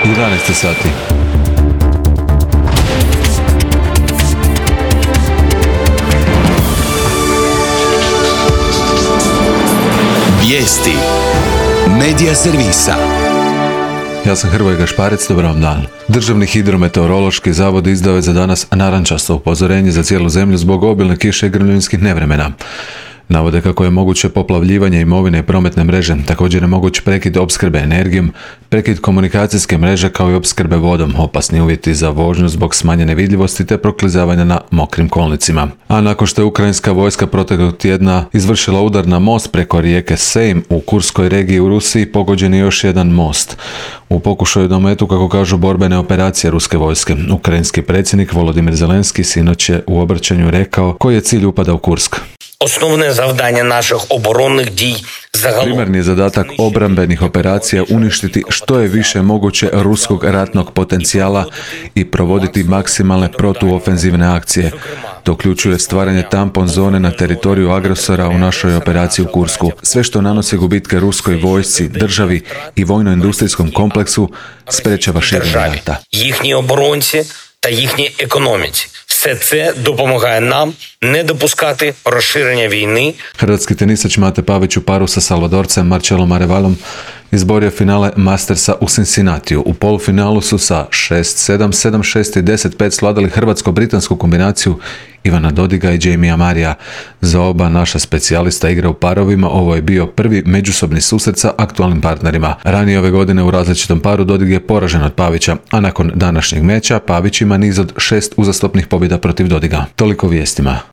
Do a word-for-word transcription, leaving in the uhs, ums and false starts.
jedanaest sati. Vijesti Medija servisa. Ja sam Hrvoje Gašparec, dobar vam dan. Državni hidrometeorološki zavod izdao je za danas narančasto upozorenje za cijelu zemlju zbog obilne kiše i grmljenskih nevremena. Navode kako je moguće poplavljivanje imovine i prometne mreže, također je moguć prekid opskrbe energijom, prekid komunikacijske mreže kao i opskrbe vodom, opasni uvjeti za vožnju zbog smanjene vidljivosti te proklizavanja na mokrim kolnicima. A nakon što je ukrajinska vojska proteklog tjedna izvršila udar na most preko rijeke Sejm u Kurskoj regiji u Rusiji, pogođen je još jedan most. U pokušaju da ometu, kako kažu, borbene operacije ruske vojske. Ukrajinski predsjednik Volodimir Zelenski sinoć je u obraćanju rekao koji je cilj upada u Kursk. Основне завдання наших оборонних дій загалом. Primarni je zadatak obrambenih operacija uništiti što je više moguće ruskog ratnog potencijala i provoditi maksimalne protuofenzivne akcije. To uključuje stvaranje tampon zone na teritoriju agresora u našoj operaciji u Kursku. Sve što nanosi gubitke ruskoj vojsci, državi i vojno-industrijskom kompleksu sprečava širenje rata. Їхні оборонці та їхній економіці. Все це допомагає нам не допускати розширення війни. Hrvatski tenisač Mate Pavić u paru sa Salvadorcem Marcelom Arevalom izborio finale Mastersa u Cincinnatiju. U polufinalu su sa šest sedam, sedam šest i deset pet svladali hrvatsko-britansku kombinaciju Ivana Dodiga i Jamie Marija. Za oba naša specijalista igra u parovima. Ovo je bio prvi međusobni susret sa aktualnim partnerima. Ranije ove godine u različitom paru Dodig je poražen od Pavića, a nakon današnjeg meča Pavić ima niz od šest uzastopnih pobjeda protiv Dodiga. Toliko vijestima.